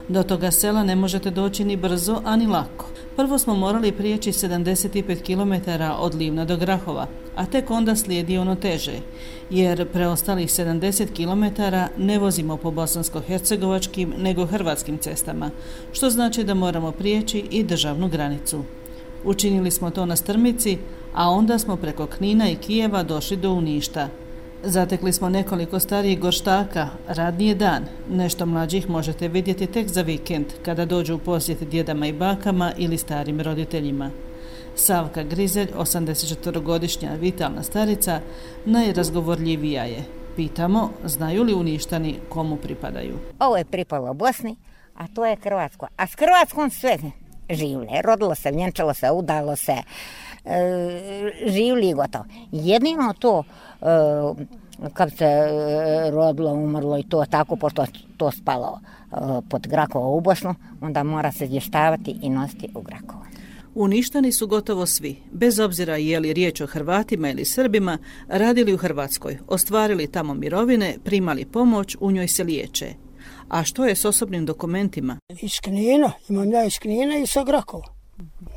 Do toga sela ne možete doći ni brzo, ani lako. Prvo smo morali prijeći 75 km od Livna do Grahova, a tek onda slijedi ono teže, jer preostalih 70 km ne vozimo po bosansko-hercegovačkim nego hrvatskim cestama, što znači da moramo prijeći i državnu granicu. Učinili smo to na strmici, a onda smo preko Knina i Kijeva došli do Uništa. Zatekli smo nekoliko starijih gorštaka, radni je dan, nešto mlađih možete vidjeti tek za vikend, kada dođu u posjet djedama i bakama ili starim roditeljima. Savka Grizelj, 84-godišnja vitalna starica, najrazgovorljivija je. Pitamo, znaju li Uništani komu pripadaju. Ovo je pripalo Bosni, a to je Hrvatsko. A s Hrvatskom sve živle. Rodilo se, vjenčalo se, udalo se, živli i gotovo. Jedino to, kad se rodilo, umrlo i to tako, pošto to spalo pod Grakovo u Bosnu, onda mora se izvještavati i nositi u Grakovo. Uništani su gotovo svi, bez obzira je li riječ o Hrvatima ili Srbima, radili u Hrvatskoj, ostvarili tamo mirovine, primali pomoć, u njoj se liječe. A što je s osobnim dokumentima? Iz Knina, imam ja iz Knina i sa Grakova.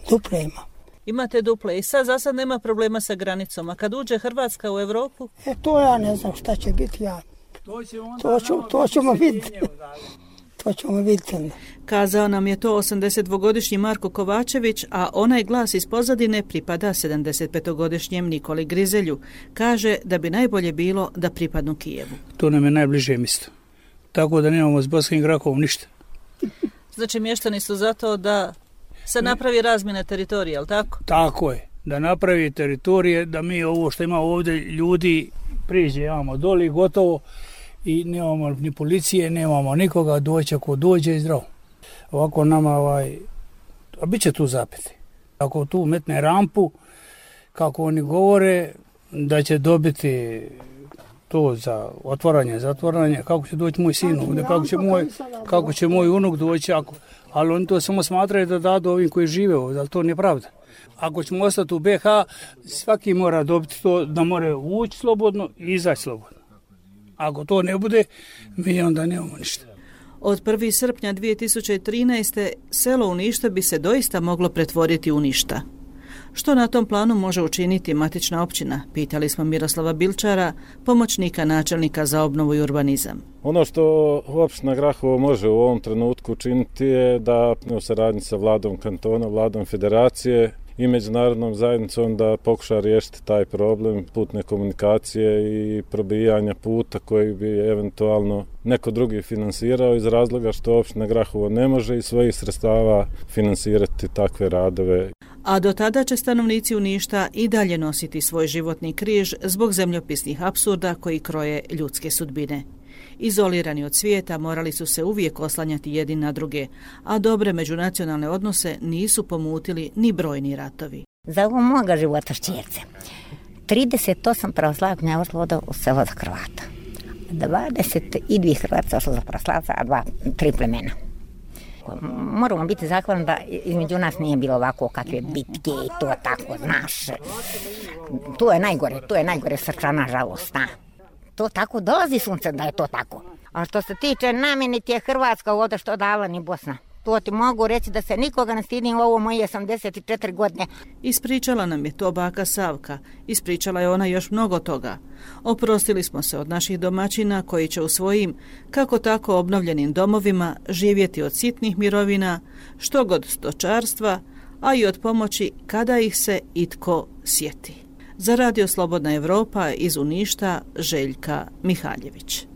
Duple ima. Imate duple i sad za sad nema problema sa granicom, a kad uđe Hrvatska u Europu? To ja ne znam šta će biti, ja. To ćemo vidjeti. To ćemo vidjeti. Kazao nam je to 82-godišnji Marko Kovačević, a onaj glas iz pozadine pripada 75-godišnjem Nikoli Grizelju. Kaže da bi najbolje bilo da pripadnu Kijevu. To nam je najbliže mjesto. Tako da nemamo s Bosanskim Grakovom ništa. Znači mještani su zato da se napravi razmjena teritorija, ali tako? Tako je, da napravi teritorije, da mi ovo što ima ovdje ljudi priđe, imamo doli gotovo i nemamo ni policije, nemamo nikoga, doći ako dođe i zdravo. Ovako nama a bit će tu zapeti. Ako tu metne rampu, kako oni govore, da će dobiti to za otvaranje, zatvaranje, kako će doći moj sin ovdje, kako će moj unuk doći, ali oni to samo smatraju da dadu ovim koji žive ovdje, ali to nije pravda. Ako ćemo ostati u BiH, svaki mora dobiti to da mora ući slobodno i izaći slobodno. Ako to ne bude, mi onda nemamo ništa. Od 1. srpnja 2013. selo Uništa bi se doista moglo pretvoriti u ništa. Što na tom planu može učiniti matična općina? Pitali smo Miroslava Bilčara, pomoćnika načelnika za obnovu i urbanizam. Ono što opština Grahovo može u ovom trenutku učiniti je da u saradnji sa vladom kantona, vladom federacije i međunarodnom zajednicom da pokuša riješiti taj problem putne komunikacije i probijanja puta koji bi eventualno neko drugi finansirao iz razloga što opština Grahovo ne može iz svojih sredstava finansirati takve radove. A do tada će stanovnici Uništa i dalje nositi svoj životni križ zbog zemljopisnih apsurda koji kroje ljudske sudbine. Izolirani od svijeta morali su se uvijek oslanjati jedni na druge, a dobre međunacionalne odnose nisu pomutili ni brojni ratovi. Za ovo moga života šćerce. 38 pravoslavnih ošlo u selo za Hrvata. 22 Hrvata ošlo za pravoslavca, a 3 plemena. Moramo biti zahvalni da između nas nije bilo ovako kakve bitke i to tako, znaš. To je najgore srčana žalost, na. To tako dolazi sunce da je to tako. A što se tiče namjeni ti je Hrvatska ovdje što dala ni Bosna. To ti mogu reći da se nikoga ne stidim u ovo moje 84 godine. Ispričala nam je to baka Savka. Ispričala je ona još mnogo toga. Oprostili smo se od naših domaćina koji će u svojim, kako tako obnovljenim domovima živjeti od sitnih mirovina, što god stočarstva, a i od pomoći kada ih se itko sjeti. Za Radio Slobodna Evropa iz Uništa, Željka Mihaljević.